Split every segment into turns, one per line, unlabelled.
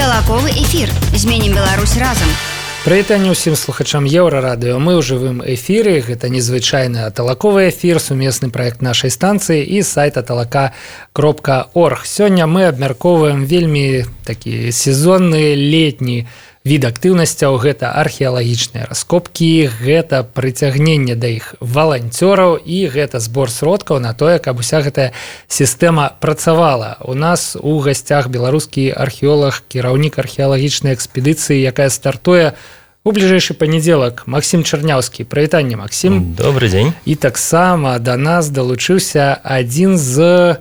Талаковы эфір. Зменім Беларусь разам.
Прывітанне ўсім слухачам Еўрарадыё. Мы ў жывым эфіры. Гэта незвычайны талаковы эфір, сумесны праект нашай станцыі і сайта talaka.org. Сёння мы абмяркоўваем вельмі такі сезонны летні від актыўнасцяў. Гэта археалагічныя раскопкі, гэта прыцягненне да іх валанцёраў і гэта збор сродкаў на тое, каб уся гэтая сістэма працавала. У нас у гасцях беларускі археолог, кіраўнік археалагічнай экспедыцыі, якая стартуе у бліжэйшы панядзелак. Максім Чарняўскі. Прывітанне, Максім.
Добры дзень.
І таксама да нас далучыўся адзін з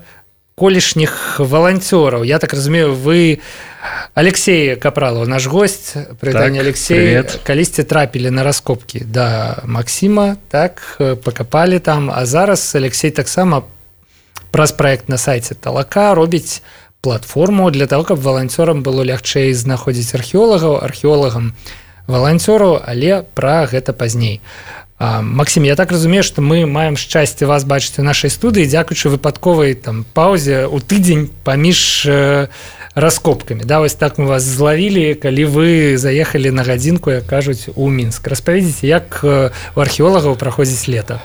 колішніх валанцёраў. Я так разумею, вы Алексей Капралов, наш гость. Прывітанне, Алексей.
Привет.
Калісьці трапілі на раскопкі да Максіма, так, пакапалі там, а зараз Алексей таксама праз праект на сайце Талака робіць платформу для того, каб валанцёрам было лягчэй знаходзіць археолагам валанцёраў, але пра гэта пазней. Максім, я так разумею, што мы маем шчасце вас бачыць у нашай студыі, дзякуючы выпадковай там паўзе ў тыдзень паміж раскопкамі. Да, вось так мы вас злавілі, калі вы заехалі на гадзінку, як кажуць, у Мінск. Распавядзіце, як у археолагаў праходзіць лета?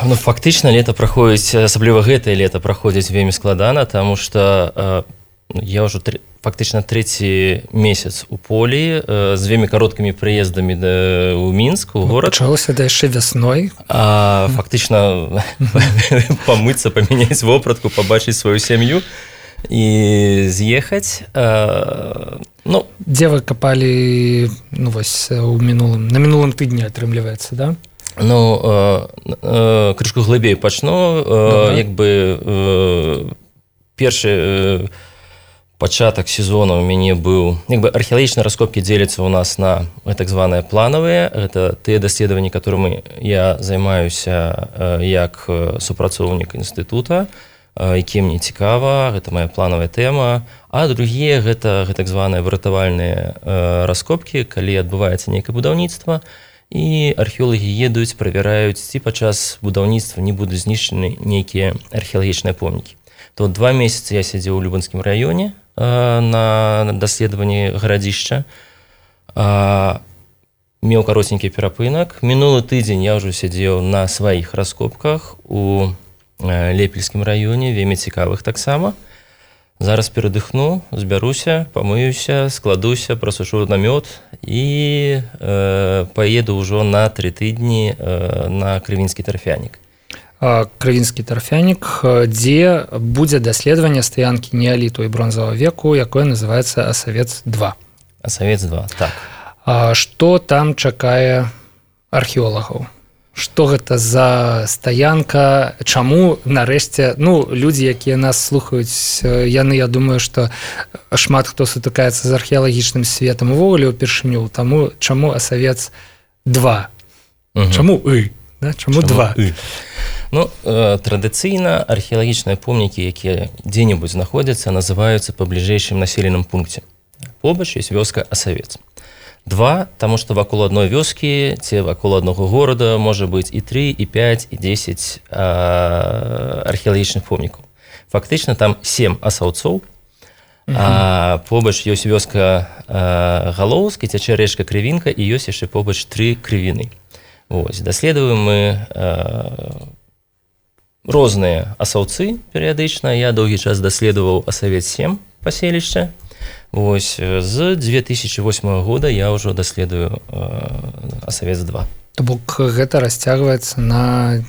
Ну, фактычна лета праходзіць, асабліва гэтае лета праходзіць вельмі складана, таму што я ўжо фактычна трэці месяц у полі з вельмі кароткімі прыездамі ў Мінск, у горад.
Пачалося да яшчэ вясной.
Фактычна памыцца, памяняць вопратку, пабачыць сваю сям'ю і з'ехаць. Ну,
дзе вы капалі, ну, вось, на мінулым тыдні, атрымліваецца, да?
Ну, крышку глыбей пачну. Як бы першы пачатак сезона у мяне быў, як бы археалагічныя раскопкі дзеляцца у нас на так званыя планавыя. Гэта тыя даследаванні, которымі я займаюся як супрацоўнік інстытута, якім мне цікава, гэта моя планавая тэма. А другія гэта так званыя выратавальныя раскопкі, калі адбываецца нейкае будаўніцтва, і археолагі едуць, правяраюць, ці падчас будаўніцтва не будуць знішчаны нейкія археалагічныя помнікі. То 2 месяцы я сядзеў у Любанскім раёне на даследаванні гарадзішча, меў каротенькі перапынак. Мінулы тыдзень я ўжо сядзеў на сваіх раскопках у Лепельскім раёне, вельмі цікавых таксама. Зараз перадыхну, збяруся, памыюся, складуся, прасушу намёт і паеду ўжо на 3 тыдні на Крывінскі тарфянік.
Крывінскі тарфянік, дзе будзе даследаванне стаянкі неаліту і бронзавага веку, якое называецца Асавец-2.
Асавец-2, так.
Што там чакае археолагаў? Што гэта за стаянка? Чаму нарэшце, ну, людзі, якія нас слухаюць, яны, я думаю, што шмат хто сутыкаецца з археалагічным светам увогуле ўпершыню, таму чаму Асавец-2? Чаму да? Чаму 2?
Ну, традыцыйна археалагічныя помнікі, якія дзе-небудзь знаходзяцца, называюцца па бліжэйшым населеным пункце. Побач ёсць вёска Асавец. 2, таму што вакол адной вёскі ці вакол аднаго горада можа быць і 3, і 5, і 10 археалагічных помнікаў. Фактычна там 7 асаўцоў, а побач ёсць вёска Галоўскі, цячэ рэчка Крывінка, і ёсць яшчэ побач 3 крывіны. Вось, даследуем мы розныя асаўцы перыядычна. Я доўгі час даследаваў Асавец-7 паселішча. Вось, з 2008 года я ўжо даследую Асавец-2.
То бок гэта расцягваецца на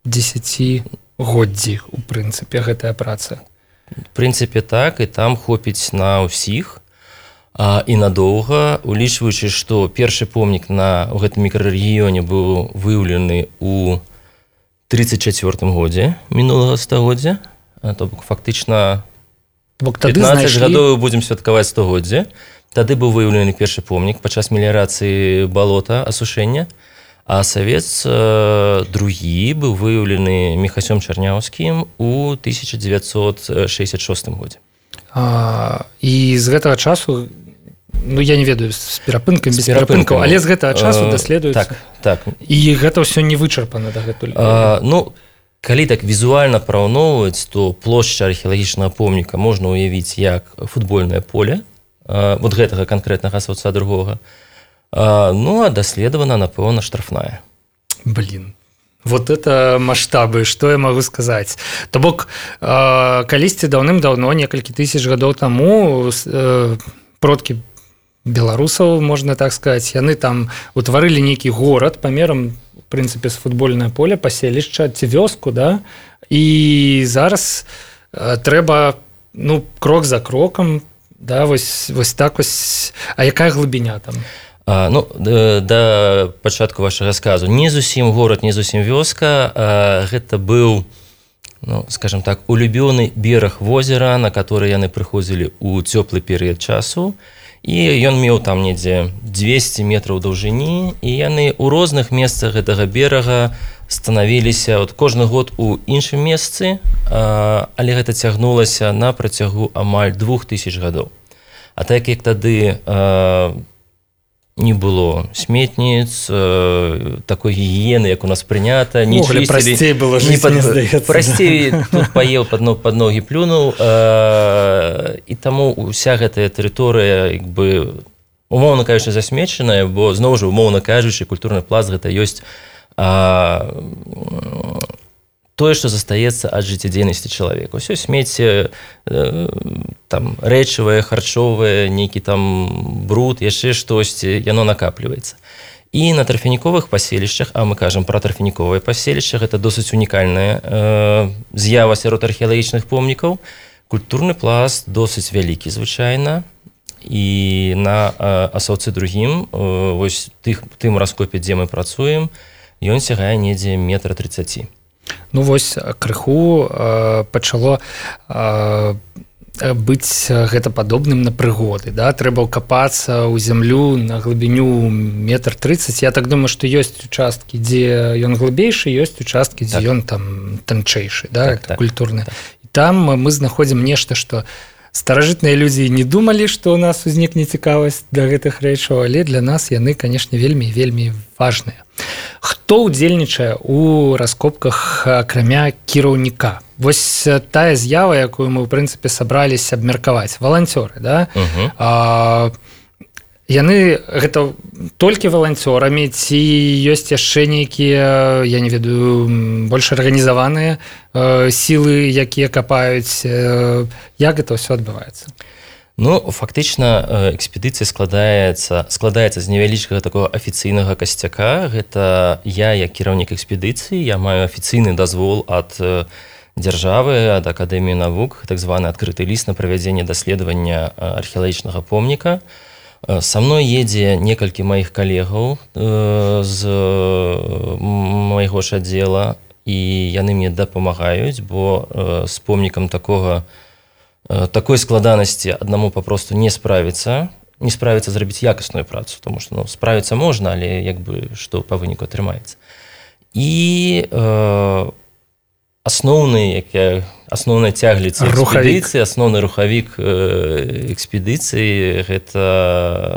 10годдзі, у прынцыпе, гэтая праца.
В прынцыпе, так, і там хопіць на ўсіх і надоўга, улічваючы, што першы помнік у гэтым мікрарэгіёне быў выяўлены ў 34 годзе мінулага стагоддзя, то бок фактычна 15 гадоў будзем святкаваць 100годдзе. Тады быў выяўлены першы помнік падчас меліярацыі балота, асушэння, а Асавец другі быў выяўлены Міхасём Чарняўскім у 1966 годзе.
І з гэтага часу, ну, я не ведаю, з перапынкамі, без перапынкаў, але з гэтага часу даследуецца.
Так.
І гэта ўсё не вычарпана дагэтуль.
Ну, калі так візуальна параўноўваць, то плошча археалагічнага помніка можна ўявіць як футбольнае поле, вот гэтага канкрэтнага асаўца другога. Ну, а даследавана, напэўна, штрафная.
Блин. Вот это масштабы, что я могу сказать. То бок, калісьці даўным-даўно, некалькі тысяч гадоў таму, продкі беларусаў, можна так сказать, яны там утварылі нейкі горад памерам, в прынцыпе, з футбольнае поле, паселішча ці вёску, да? І зараз трэба, ну, крок за крокам, да, вось так вось. А якая глыбіня там?
Ну, да пачатку вашага сказу, не зусім горад, не зусім вёска, гэта быў, ну, скажем так, улюбёны бераг возера, на который яны прыходзілі ў цёплы перыяд часу, і ён меў там недзе 200 метраў даўжыні, і яны ў розных месцах гэтага берага станавіліся от кожны год у іншым месцы, але гэта цягнулася на працягу амаль 2000 гадоў. А так як тады не было сметніц, такой гігіены, як у нас прынята, не чысцілі.
Прасцей было жыць, мне здаецца.
Прасцей, тут паеў, пад ногі плюнуў, і таму ўся гэтая тэрыторыя, як бы, умоўна кажучы, засмечаная, бо, зноў жа, умоўна кажучы, культурны пласт гэта ёсць тое, што застаецца ад жыццядзейнасці чалавека. Усё смецце, там, рэчавае, харчовае, нейкі там бруд, яшчэ штосьці, яно накапліваецца. І на тарфяніковых паселішчах, а мы кажам пра тарфяніковыя паселішча, гэта досыць унікальная з'ява сярод археалагічных помнікаў. Культурны пласт досыць вялікі, звычайна, і на асаўцы другім, вось тым раскопе, дзе мы працуем, ён сягае недзе 1,30 м.
Ну вось крыху пачало быць гэта падобным на прыгоды, да? Трэба ўкапацца ў зямлю на глыбіню 1,30 м. Я так думаю, што ёсць участкі, дзе ён глыбейшы, ёсць участкі, дзе ён там танчэйшы, да? Культурны. І там мы знаходзім нешта, што старажытныя людзі не думалі, што ў нас узнікне цікавасць да гэтых рэчаў, але для нас яны, канешне, вельмі важныя. Хто ўдзельнічае ў раскопках акрамя кіраўніка? Вось тая з'ява, якую мы, ў прынцыпе, сабраліся абмеркаваць. Валанцёры, да? Яны гэта толькі валанцёрамі, ці ёсць яшчэ нейкія, я не ведаю, больш арганізаваныя сілы, якія капаюць? Як гэта ўсё адбываецца?
Ну, фактычна, экспедыцыя складаецца з невялічкага такого афіцыйнага касцяка. Гэта я, як кіраўнік экспедыцыі, я маю афіцыйны дазвол ад дзяржавы, ад Акадэміі навук, так званы адкрыты ліст на правядзенне даследавання археалагічнага помніка. Са мной едзе некалькі маіх калегаў з майго ж аддзела, і яны мне дапамагаюць, бо з помнікам такой складанасці аднаму папросту не справіцца зрабіць якасную працу, тому што, ну, справіцца можна, але як бы што па выніку атрымаецца. І асноўная цягліца экспедыцыі, асноўны рухавік экспедыцыі гэта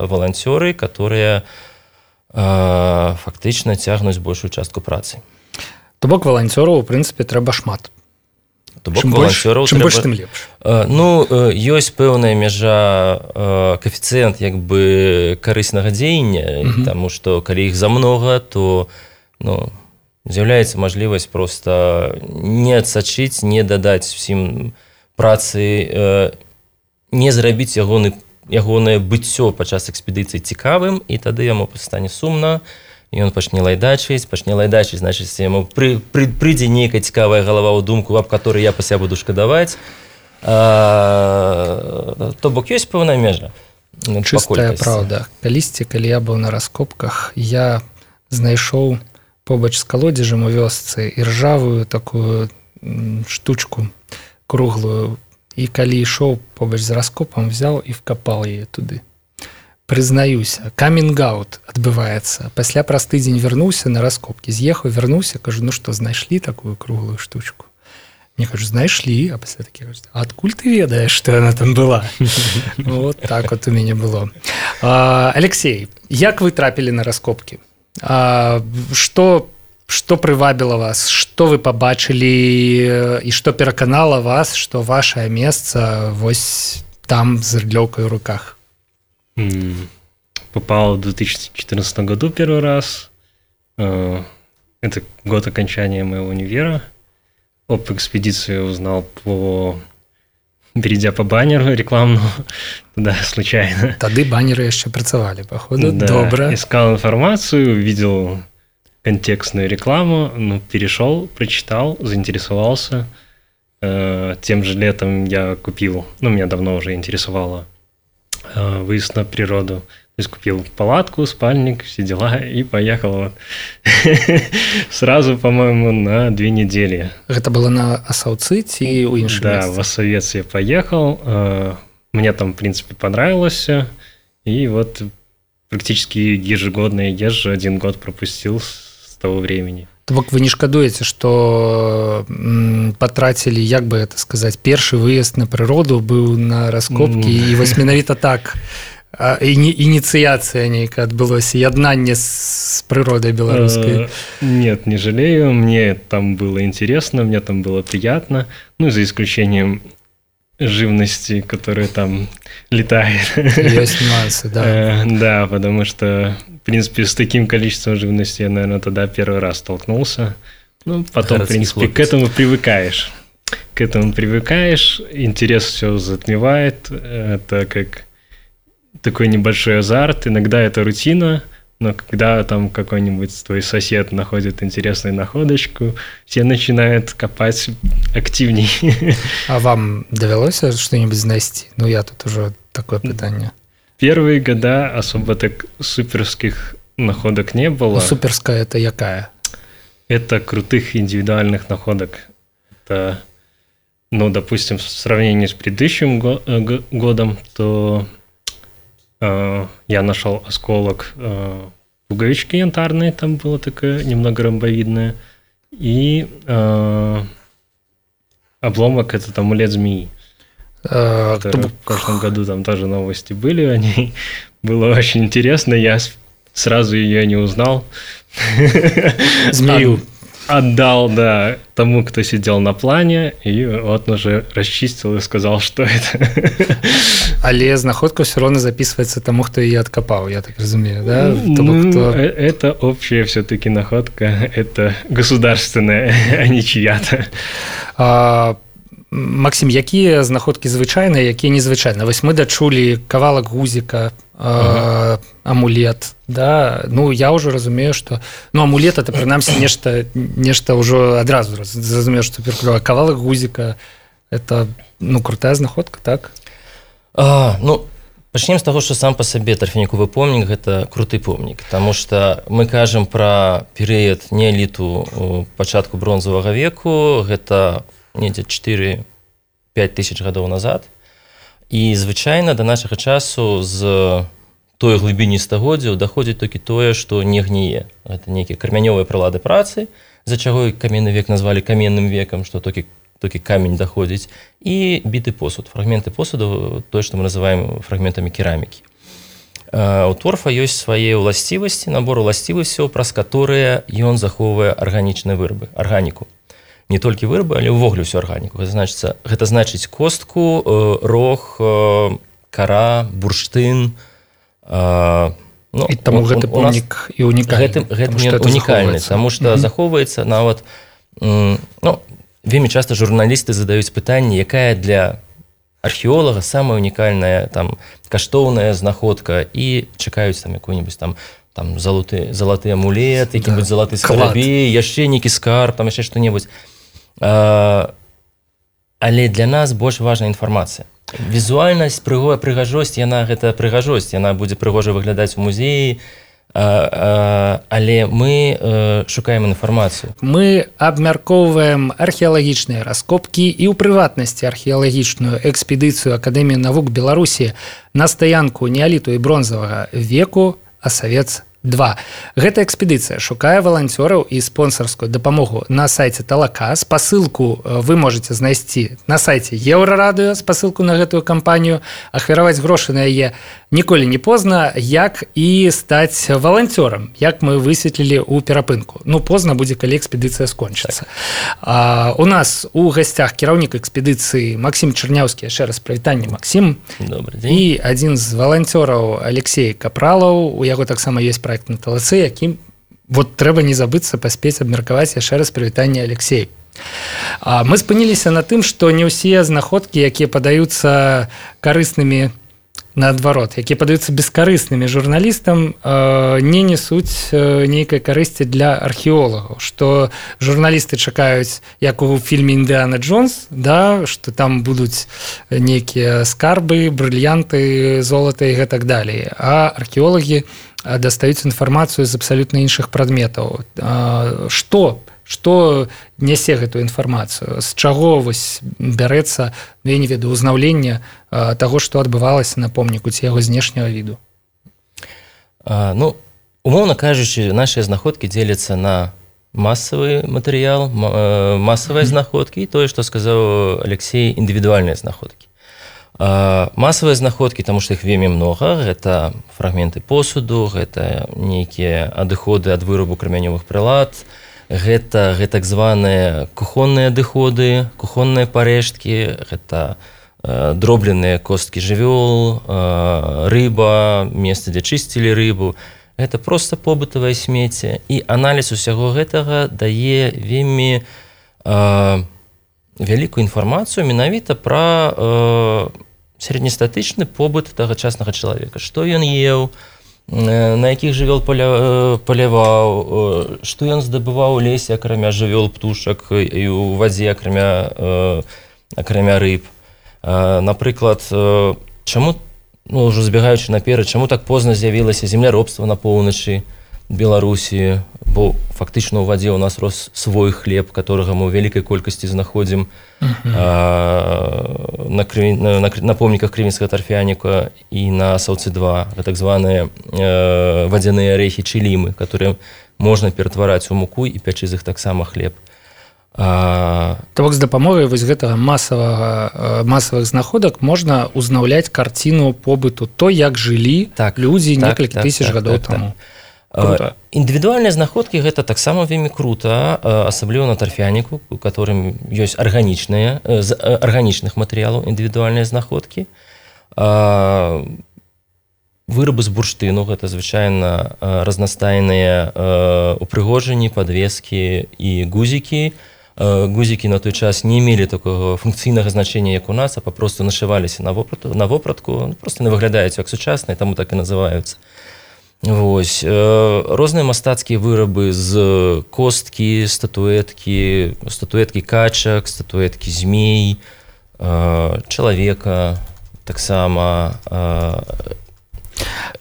валанцёры, которые фактычна цягнуць большую частку працы.
То бок валанцёраў, у прынцыпе, трэба шмат. Чым больш, тым лепш.
Ну, ёсць пэўная мяжа, каэфіцыент як бы карыснага дзеяння, таму што калі іх замнога, то, ну, з'яўляецца мажлівасць проста не адсачыць, не дадаць усім працы, не зрабіць ягонае быццё падчас экспедыцыі цікавым, і тады яму стане сумна, і ён пачне лайдачыць, значыць, яму прыйдзе нейкая цікавая галава ў думку, аб которой я пасля буду шкадаваць. То бок ёсць пэўная межа.
Чыстая праўда. Калісьці, калі я быў на раскопках, я знайшоў побач з калодзежам у вёсцы іржавую такую штучку круглую, і калі ішоў побач з раскопам, взял і вкапал яе туды. Прызнаюся, камінг-аут адбываецца. Пасля праз тыдзень вярнуўся на раскопкі, з'ехаў, вярнуўся, кажу, ну што, знайшлі такую круглую штучку? Мне кажу, знайшлі, а пасля такі, а адкуль ты ведаеш, што яна там была? Вот так вот у мяне было. Алексей, як вы трапілі на раскопкі? Што прывабіла вас? Што вы пабачылі і што пераканала вас, што вашае месца вось там з рыдлёўкай у руках?
Попал в 2014 году первый раз. Это год окончания моего универа. Об экспедиции узнал перейдя по баннеру рекламному туда случайно.
Тады баннеры еще працавали, походу.
Да,
добро.
Искал информацию, видел контекстную рекламу, перешел, прочитал, заинтересовался. Тем же летом я купил, меня давно уже интересовало выезд на природу. То есть купил палатку, спальник, все дела, и поехал сразу, по-моему, на 2 недели.
Это было на Асаўцы ці ў іншым месцы?
Да, в Осовец я поехал. Мне там, в принципе, понравилось. И вот практически ежегодно я езжу, 1 год пропустил с того времени.
То бок вы не шкадуеце, што патрацілі, як бы это сказаць, першы выезд на прыроду быў на раскопкі, і вось менавіта так инициация нейкая адбылося, яднанне с природой белорусской?
Нет, не жалею. Мне там было интересно, мне там было приятно. За исключением живности, которая там летает.
Есть нюансы, да.
Да, потому что, в принципе, с таким количеством живности я, наверное, тогда первый раз столкнулся. Потом, в принципе, к этому привыкаешь. Интерес все затмевает. Это как такой небольшой азарт. Иногда это рутина, но когда там какой-нибудь твой сосед находит интересную находочку, все начинают копать активней.
А вам довелось что-нибудь знайсці? Я тут уже такое питание.
Первые года особо так суперских находок не было.
Суперская это якая?
Это крутых индивидуальных находок. Это, допустим, в сравнении с предыдущим годом, то я нашел осколок пуговички янтарной, там было такое немного ромбовидное, и обломок этот амулет змеи. В прошлом году там тоже новости были о ней. Было очень интересно, я сразу ее не узнал.
Змею.
Отдал, да, тому, кто сидел на плане, и вот он уже расчистил и сказал, что это.
Але знаходка все равно записывается тому, кто ее откопал, я так разумею, да?
Это общая все-таки находка, это государственная, а не чья-то.
Максим, якія знаходкі звычайныя, якія незвычайныя? Вось мы дачулі кавалак гузіка, амулет, да? Я ўжо разумею, што амулет это прынамсі нешта ўжо адразу зразумею, што перклёва. Кавалак гузіка это крутая знаходка, так?
Пачнем з таго, што сам па сабе тарфяніковы помнік гэта круты помнік, таму што мы кажам пра перыяд неаліту пачатку бронзавага веку, гэта недзе 4-5 тысяч гадоў назад. І звычайна да нашага часу з той глыбіні стагоддзяў даходзіць толькі тое, што не гніе. Гэта нейкія кармянёвыя прылады працы, з-за чаго і каменны век назвалі каменным векам, што толькі камень даходзіць, і біты посуд, фрагменты посуду, тое, што мы называем фрагментамі керамікі. У торфа ёсць свае ўласцівасці, набор уласцівасцяў, праз каторыя ён захоўвае арганічныя вырабы, арганіку. Не толькі вырабы, але ўвогуле ўсю арганіку. Гэта значыць костку, рог, кара, бурштын.
І таму гэты помнік і унікальны.
Гэта унікальны, таму што захоўваецца нават... Вельмі часта журналісты задаюць пытанне, якая для археолага самая унікальная, каштоўная знаходка, і чакаюць якую-нибудь залаты амулет, які-нибудь залаты скарабей, яшчэ нейкі скарб, яшчэ што-небудзь. Але для нас больш важная інфармацыя. Візуальнасць, прыгажосць, гэта прыгажосць, яна будзе прыгожа выглядаць у музеі, але мы шукаем інфармацыю.
Мы абмяркоўваем археалагічныя раскопкі і ў прыватнасці археалагічную экспедыцыю Акадэміі навук Беларусі на стаянку неаліту і бронзавага веку Асавец 2. Гэта экспедыцыя шукае валанцёраў і спонсарскую дапамогу на сайце Талака. Спасылку вы можете знайсці на сайце Еўрарадыё, спасылку на гэтую кампанію. Ахвяраваць грошы на яе ніколі не позна, як і стаць валанцёрам, як мы высветлілі ў перапынку. Ну, позна будзе, калі экспедыцыя скончыцца. У нас у гасцях кіраўнік экспедыцыі Максім Чарняўскі. Яшчэ раз прывітанне, Максім.
Добрый дзень.
І адзін з валанцёраў Алексей Капралаў. У яго таксама ёсць проект на Талацы, якім вот трэба не забыцца паспець абмеркаваць. Яшчэ раз прывітанне, Алексей. Мы спыніліся на тым, што не ўсе знаходкі, якія падаюцца карыснымі, наадварот, якія падаюцца бескарыснымі журналістам, не несуць нейкай карысці для археолагаў, што журналісты чакаюць, як у фільме «Індыана Джонс», да, што там будуць нейкія скарбы, брыльянты, золата і гэтак далей, а археолагі дастаюць інфармацыю з абсалютна іншых прадметаў. Што нясе гэтую інфармацыю? З чаго вось бярэцца, ну, я не ведаю, узнаўленне таго, што адбывалася на помніку, ці яго знешняга віду?
Ну, умоўна кажучы, нашыя знаходкі дзеляцца на масавы матэрыял, масавыя знаходкі, і тое, што сказаў Алексей, індывідуальныя знаходкі. Масавыя знаходкі, таму што іх вельмі многа, гэта фрагменты посуду, гэта нейкія адыходы ад вырабу крамянёвых прылад, гэта так званыя кухонныя адыходы, кухонныя парэшткі, гэта дробленыя косткі жывёл, рыба, месца, дзе чысцілі рыбу. Гэта проста побытавае смецце. І аналіз усяго гэтага дае вельмі вялікую інфармацыю менавіта пра сярэднестатычны побыт тагачаснага чалавека. Што ён еў, на якіх жывёл паляваў, што ён здабываў у лесе, акрамя жывёл, птушак, і ў вадзе, акрамя рыб. Напрыклад, чаму, ну, ўжо збегаючы наперад, чаму так позна з'явілася земляробства на поўначы Беларусі, бо фактычна ў вадзе у нас рос свой хлеб, которага мы ў вялікай колькасці знаходзім на помніках крывінскага тарфяніка і на Саўцы-2, так званыя вадзяныя арэхі чылімы, которые можна ператвараць у муку і пячы з іх таксама хлеб.
То бок з дапамогай вось гэтага масавых знаходак можна узнаўляць карціну побыту, то, як жылі людзі некалькі тысяч гадоў таму.
Індывідуальныя знаходкі гэта таксама вельмі крута, асабліва на тарфяніку, у которым ёсць арганічныя, з арганічных матэрыялаў індывідуальныя знаходкі. Вырабы з бурштыну, гэта звычайна разнастайныя упрыгожанні, падвескі і гузікі. Гузікі на той час не мелі такого функцыйнага значення, як у нас, а папросту нашываліся на вопратку, просто не выглядаюць як сучасныя, таму так і называюцца. Вось. Розныя мастацкія вырабы з косткі, статуэткі качак, статуэткі змей, чалавека таксама.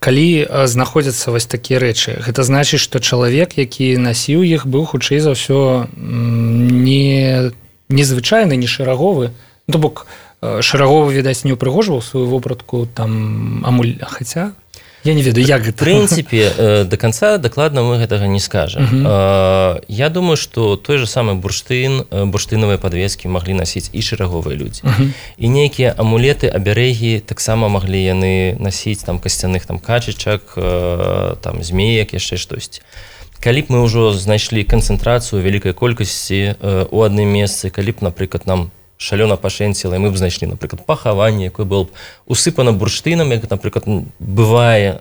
Калі знаходзяцца вось такія рэчы, гэта значыць, што чалавек, які насіў іх, быў хутчэй за ўсё незвычайны, не шэраговы. То бок шэраговы, відаць, не ўпрыгожваў сваю вопратку там хаця... Я не ведаю, як гэта.
В прынцыпе, до конца дакладна мы гэтага не скажам. Я думаю, што той же самы бурштын, бурштынавыя падвескі маглі насіць і шэраговыя людзі. І нейкія амулеты, абярэгі таксама маглі яны насіць там касцяных там качачак, там змеек, яшчэ штосьці. Калі б мы ўжо знайшлі канцэнтрацыю вялікай колькасці у адным месцы, калі б, напрыклад, нам шалёна пашэнціла, і мы б знайшлі, напрыклад, пахаванне, якое было б усыпана бурштынам, як, напрыклад, бывае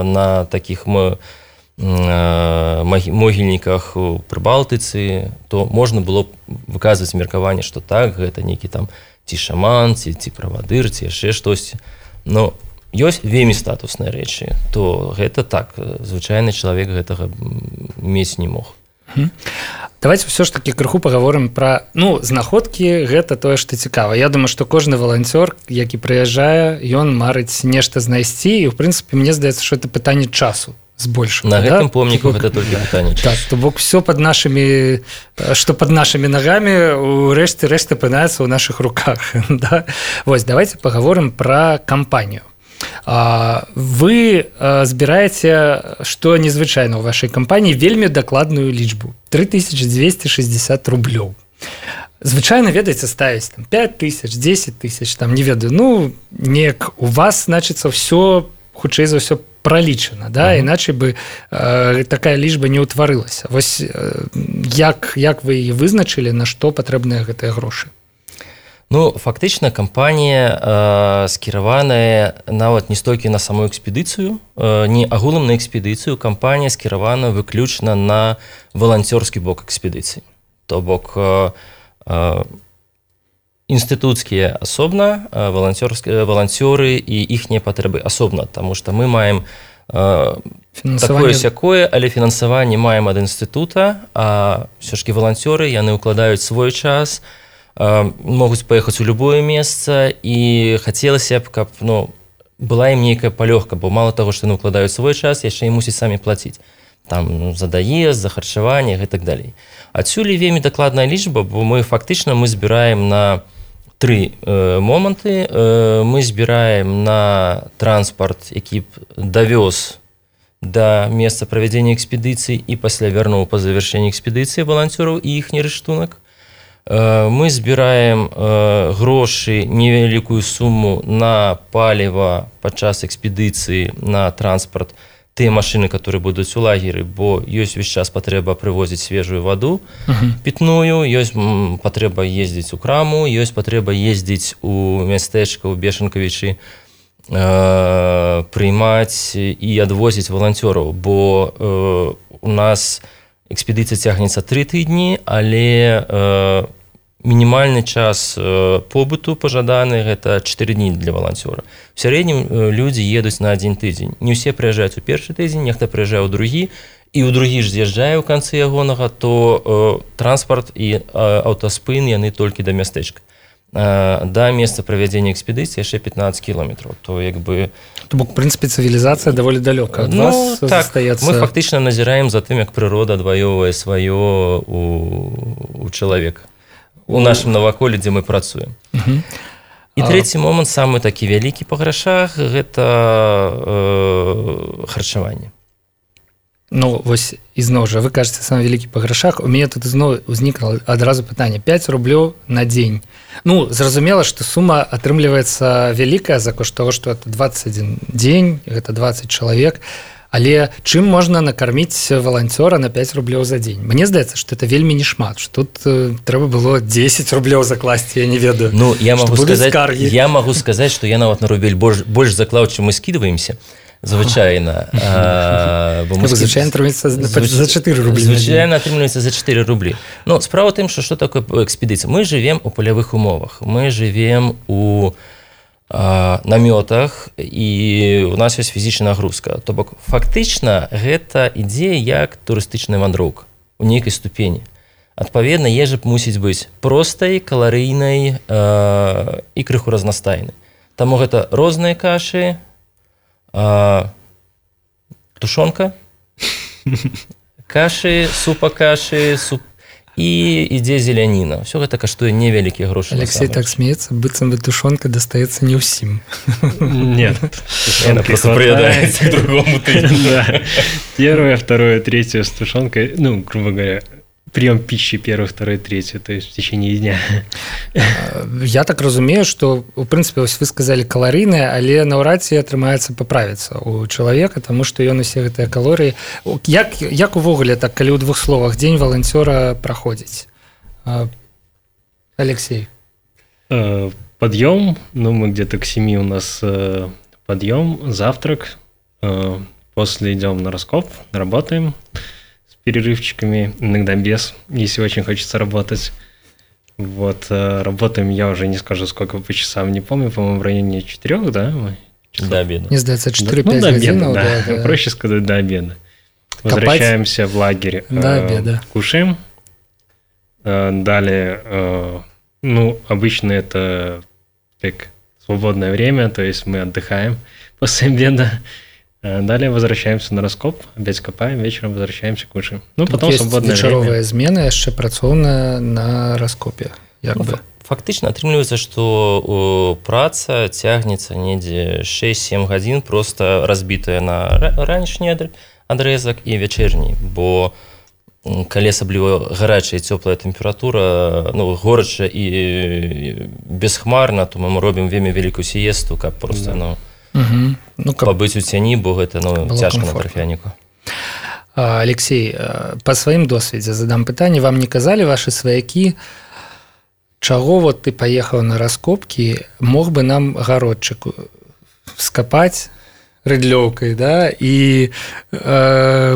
на такіх могільніках у Прыбалтыцы, то можна было б выказваць меркаванне, што так, гэта нейкі там ці шаман, ці правадыр, ці яшчэ штосьці. Но ёсць вельмі статусныя рэчы, то гэта так, звычайны чалавек гэтага мець не мог.
Давайте все ж таки крыху паговорым пра знаходкі, гэта тое, што цікава. Я думаю, што кожны валанцёр, які прыязджае, ён марыць нешта знайсці, і в прынцыпе мне здаецца, што это пытанне часу збольшага.
На гэтым помніку гэта толькі пытанне часу.
Так, то бок все пад нашымі, што пад нашымі нагамі, у рэшце апынаецца ў нашых руках. Да? Вось, давайте паговорым пра кампанію. Вы збіраеце, што незвычайна ў вашай кампаніі, вельмі дакладную лічбу 3260 рублёў. Звычайна, ведаеце, ставіць 5 тысяч, 10 тысяч, там, не ведаю, ну, неяк у вас, значыцца, ўсё, хутчэй за ўсё, пралічана, да? Іначай бы такая лічба не ўтварылася. Вось як вы яе вызначылі, на што патрэбныя гэтыя грошы?
Ну, фактычна кампанія скіраваная нават не столькі на саму экспедыцыю, не агулам на экспедыцыю, кампанія скіравана выключна на валанцёрскі бок экспедыцыі. То бок інстытуцкія асобна, валанцёры і іхнія патрэбы асобна, таму што мы маем такое-сякое, але фінансаванне маем ад інстытута, а ўсё ж валанцёры, яны ўкладаюць свой час, могуць паехаць у любое месца, і хацелася б, каб была ім нейкая палёгка, бо мало таго, што яны ўкладаюць свой час, яшчэ і мусіць самі плаціць. Там за даезд, за харчаванне і так далей. Адсюль вельмі дакладная лічба, бо мы фактычна збіраем на 3 моманты. Мы збіраем на транспарт, які б давёз да месца правядзення экспедыцыі і пасля вярнуў па завяршэнні экспедыцыі валанцёраў і іхні рыштунак. Мы збіраем грошы, невялікую суму на паліва падчас экспедыцыі, на транспарт, тыя машыны, которые будуць у лагеры, бо ёсць увесь час патрэба прывозіць свежую ваду пітную, ёсць патрэба ездзіць у краму, ёсць патрэба ездзіць у мястэчка, у Бешанкавічы, прыймаць і адвозіць валанцёраў, бо у нас экспедыцыя цягнецца 3 тыдні, але мінімальны час побыту пажаданы гэта 4 дні для валанцёра. У сярэднім людзі едуць на 1 тыдзень. Не ўсе прыязджаюць у першы тыдзень, нехта прыязджае ў другі, і ў другі ж з'язджае ў канцы ягонага, то транспарт і аўтаспын яны толькі да мястэчка. Да месца правядзення экспедыцыі яшчэ 15 кіламетраў. То
бок, у прынцыпе, цывілізацыя даволі далёка ад вас застаецца.
Мы фактычна назіраем за тым, як прырода адваёўвае сваё у чалавека. У нашым наваколлі, дзе мы працуем. І трэці момант, самы такі вялікі па грашах, гэта харчаванне.
Ну, вось, ізноў жа, вы кажаце, самы вялікі па грашах. У мяне тут ізноў узнікла адразу пытанне. 5 рублёў на дзень. Ну, зразумела, што сума атрымліваецца вялікая за кошт таго, што это 21 дзень, гэта 20 чалавек. Але чым можна накарміць валанцёра на 5 рублёў за дзень? Мне здаецца, што это вельмі не шмат, што тут трэба было 10 рублёў закласці, я не ведаю.
Ну, я магу сказаць, што я нават на рубель больш заклаў, чым мы скідваемся, звычайна.
Звычайна атрымліваецца за 4 рублі.
Звычайна атрымліваецца за 4 рублі. Ну, справа тым, што такое экспедыцыя? Мы жывем у палявых умовах, мы жывем у намётах, і у нас ёсць фізічная нагрузка. То бок, фактычна, гэта ідзе як турыстычная вандроўка у нейкай ступені. Адпаведна, ежа мусіць быць простай, каларыйнай і крыху разнастайнай. Таму гэта розныя кашы, тушонка, кашы, супа-кашы, і ідзе зеляніна. Ўсё гэта каштуе невялікія грошы.
Алексей так смеецца, быццам бы тушонка дастаецца не ўсім.
Нет.
Яна просто прыядаецца к другому тыдню.
Первое, второе, третье с тушенкой, ну, грубо говоря, прием пищи первый, второй, третий, то есть в течение дня.
Я так разумею, што, у прынцыпе, вы сказалі каларыйнае, але наўрад ці атрымаецца паправіцца у чалавека, таму што ён усе гэтыя калорыі. Як увогуле, так, калі ў 2 словах, дзень валанцёра праходзіць? Алексей.
Подъем, ну, мы где-то к 7 у нас подъем, завтрак, после идем на раскоп, работаем перерывчиками, иногда без, если очень хочется работать. Вот, работаем, я уже не скажу, сколько по часам, не помню, по-моему, в районе 4, да?
До обеда.
Мне сдается, 4-5 годин.
Да. Проще сказать, до обеда. Возвращаемся в лагерь,
до обеда.
Кушаем. Далее, ну, обычно это так, свободное время, то есть мы отдыхаем после обеда. Далее возвращаемся на раскоп, опять копаем, вечером возвращаемся, кушаем. Ну, потом
есть
свободное
вечеровая
время.
змена, яшчэ працоўная на раскопе.
Фактычна атрымліваецца, што праца цягнецца недзе 6-7 гадзін, просто разбітая на ранішні адрэзак і вячэрні, бо калі асабліва гарачая і цёплая тэмпература, горача і бесхмарна, то мы робім вельмі вялікую сіесту, каб просто пабыць у цяні, бо гэта цяжка на тарфяніку.
Алексей, па сваім досведзе задам пытанне, вам не казалі вашы сваякі, чаго вот ты паехаў на раскопкі, мог бы нам гародчык скапаць рыдлёўкай, да, і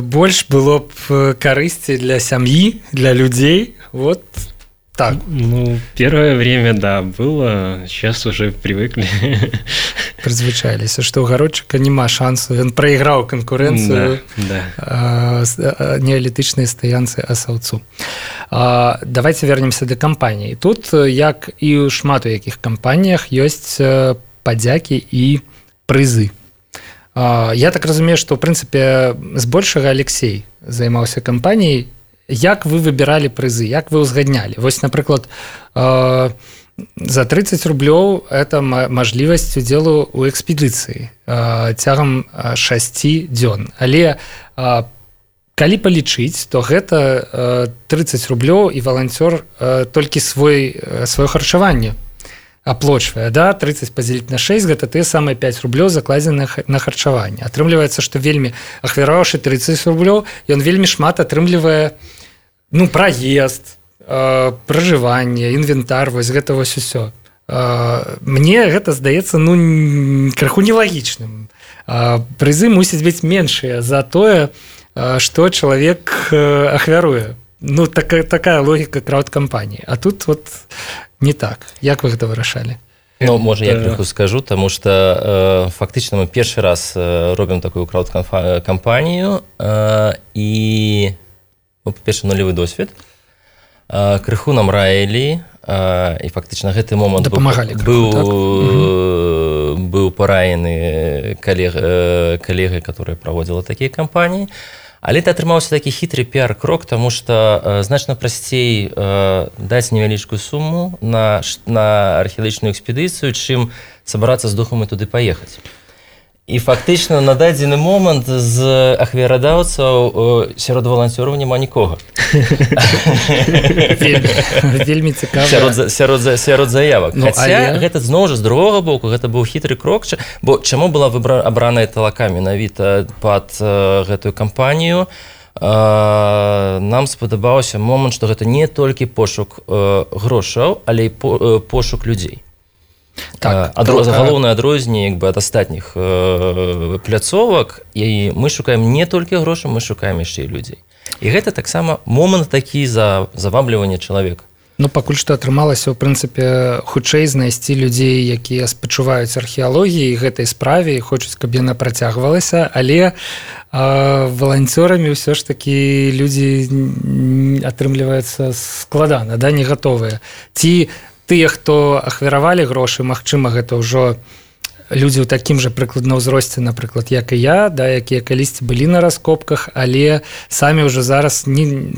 больш было б карысці для сям'і, для людзей, вот так.
Первое время, да, было, сейчас уже привыкли.
Прызвычаліся, што ў гародчыка няма шансу, ён прайграў канкурэнцыю неалітычнай стаянцы асаўцу. Давайте вернемся да кампаніі. Тут, як і ў шмат у якіх кампаніях, ёсць падзякі і прызы. Я так разумею, што, ў прынцыпе, збольшага Алексей займаўся кампаніяй. Як вы выбіралі прызы, як вы ўзгаднялі? Вось, напрыклад, за 30 рублёў это мажлівасць удзелу ў экспедыцыі цягам 6 дзён. Але калі палічыць, то гэта 30 рублёў і валанцёр толькі сваё харчаванне аплочвае, да, 30 падзеліць на 6, гэта тыя самыя 5 рублёў закладзеных на харчаванне. Атрымліваецца, што вельмі, ахвяраваўшы 30 рублёў, ён вельмі шмат атрымлівае, праезд, пражыванне, інвентар, вось гэта вось усё. Мне гэта здаецца, крыху нелагічным. Прызы мусяць быць меншыя за тое, што чалавек ахвяруе. Такая логіка краўдкампаніі. А тут вот не так. Як вы гэта вырашалі?
Можа, я крыху скажу, таму што фактычна мы першы раз робім такую краўдкампанію і, па-перше, нулевы досвед. Крыху нам раілі, і фактычна гэты момант быў параены калегай, которая праводзіла такія кампаніі. Але это атрымаўся такі хітры піар-крок, таму што значна прасцей даць невялічкую суму на археалагічную экспедыцыю, чым сабрацца з духам і туды паехаць. І фактычна на дадзены момант з ахвярадаўцаў сярод валанцёраў няма нікога.
Вельмі цікава.
Сярод заявак. Хаця гэта зноў жа з другога боку, гэта быў хітры крок, бо чаму была абраная талака менавіта пад гэтую кампанію? Нам спадабаўся момант, што гэта не толькі пошук грошаў, але і пошук людзей. Галоўнае адрозненне ад астатніх пляцовак, і мы шукаем не толькі грошы, мы шукаем яшчэ і людзей. І гэта таксама момант такі заваблівання чалавека.
Пакуль што атрымалася, ў прынцыпе, хутчэй знайсці людзей, якія спачуваюць археалогіі гэтай справе і хочуць, каб яна працягвалася, але валанцёрамі ўсё ж такі людзі атрымліваюцца складана, не гатовыя. Ці тыя, хто ахвяравалі грошы, магчыма, гэта ўжо людзі ў такім жа прыкладна ўзросце, напрыклад, як і я, якія калісьці былі на раскопках, але самі ўжо зараз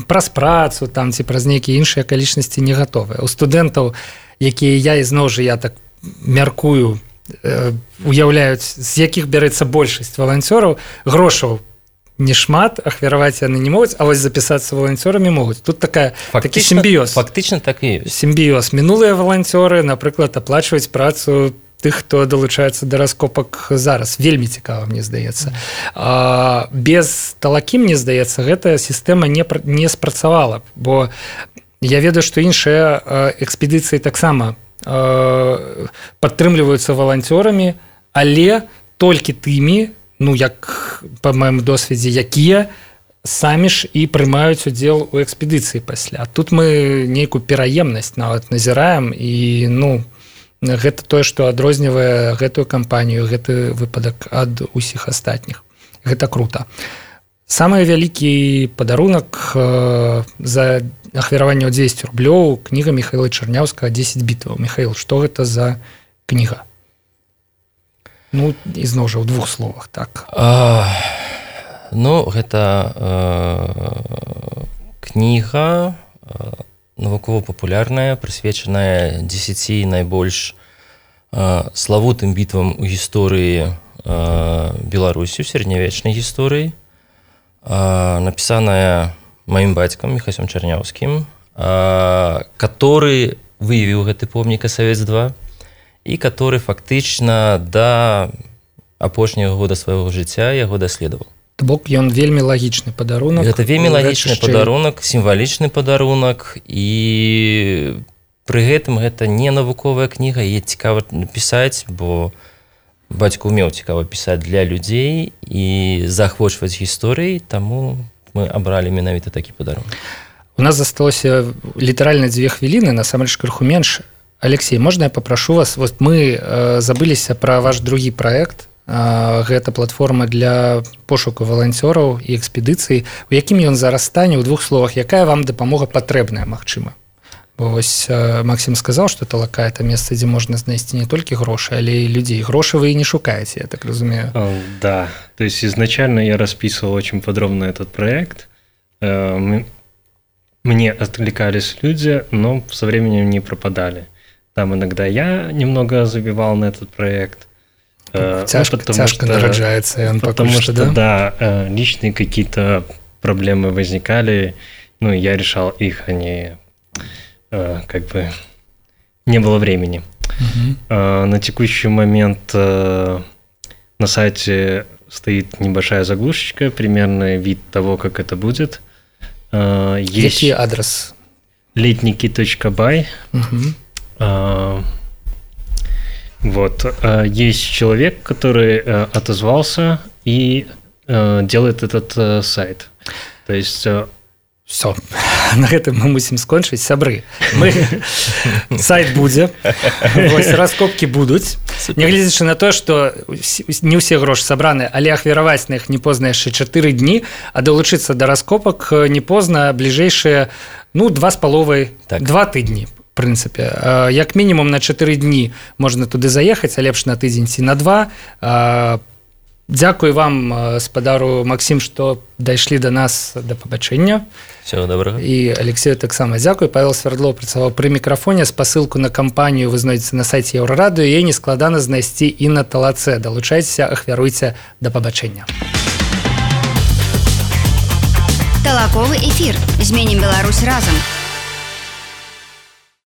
праз працу ці праз нейкія іншыя акалічнасці не гатовыя. У студэнтаў, якія я, і зноў жа я так мяркую, уяўляюць, з якіх бярэцца большасць валанцёраў, грошаў не шмат, ахвяраваць яны не могуць, а вось запісацца валанцёрамі могуць. Тут такі сімбіёз.
Фактычна так і ёсць.
Сімбіёз. Мінулыя валанцёры, напрыклад, аплачваюць працу тых, хто далучаецца да раскопак зараз. Вельмі цікава, мне здаецца. Без талакі, мне здаецца, гэтая сістэма не спрацавала, бо я ведаю, што іншыя экспедыцыі таксама падтрымліваюцца валанцёрамі, але толькі тымі, як па маім досведзе, якія самі ж і прымаюць удзел у экспедыцыі пасля. Тут мы нейкую пераемнасць нават назіраем, і гэта тое, што адрознівае гэтую кампанію, гэты выпадак ад усіх астатніх. Гэта крута. Самы вялікі падарунак за ахвяраванне ў 200 рублёў кніга Міхаіла Чарняўскага «10 бітваў». Міхаіл, што гэта за кніга? І зноў жа ў 2 словах, так.
Гэта кніга навукова-папулярная, прысвечаная 10 найбольш славутым бітвам у гісторыі Беларусі, у сярэднявечнай гісторыі, напісаная маім бацькам Міхасем Чарняўскім, который выявіў гэты помнік СС-2 і который фактычна да апошняга года свайго жыцця яго даследаваў.
То бок ён вельмі лагічны падарунак.
Гэта вельмі лагічны падарунак, сімвалічны падарунак, і пры гэтым гэта не навуковая кніга, яе цікава напісаць, бо бацька ўмеў цікава пісаць для людзей і заахвочваць гісторыі, таму мы абралі менавіта такі падарунак.
У нас засталося літаральна 2 хвіліны, насамрэч крыху менш. Алексей, можна я папрашу вас? Вот мы забыліся пра ваш другі праект. Гэта платформа для пошуку валанцёраў і экспедыцый. У якім ён зараз стане? У 2 словах, якая вам дапамога патрэбная, магчыма? Бо вось Максим сказаў, што Талака – это месца, дзе можна знайсці не толькі грошы, але і людзей. Грошы вы і не шукаеце, я так разумею.
Да, то есть изначально я расписывал очень подробно этот проект. Мне откликались люди, но со временем не пропадали. Там иногда я немного забивал на этот проект.
Тяжко нараджается он,
потому что, да, личные какие-то проблемы возникали, ну, я решал их, они как бы не было времени. На текущий момент на сайте стоит небольшая заглушечка, примерный вид того, как это будет. Есть
Який адрес?
Летники.by. Вот. Есть человек, который отозвался и делает этот сайт. То есть...
Все, на гэтым мы мусім скончыць. Сябры, сайт будзе, раскопкі будуць. Нягледзячы на тое, што не ўсе грошы сабраны, але ахвяраваць на іх не позна яшчэ 4 дні, а далучыцца да раскопак не позна бліжэйшыя 2,5-2 тыдні. В прынцыпе, як мінімум на 4 дні можна туды заехаць, а лепш на тыдзень ці на 2. Дзякуй вам, спадару Максим, што дайшлі да нас, да пабачэння.
Всего добрага.
І Алексею таксама дзякуй. Павел Свердлов працаваў пры мікрафоне. Спасылку на кампанію вы знойдзеце на сайце Еўрарадыё. Яе нескладана знайсці і на Талацэ. Далучайцеся, ахвяруйце, да пабачэння.
Талаковы эфір. Зменім Беларусь разам.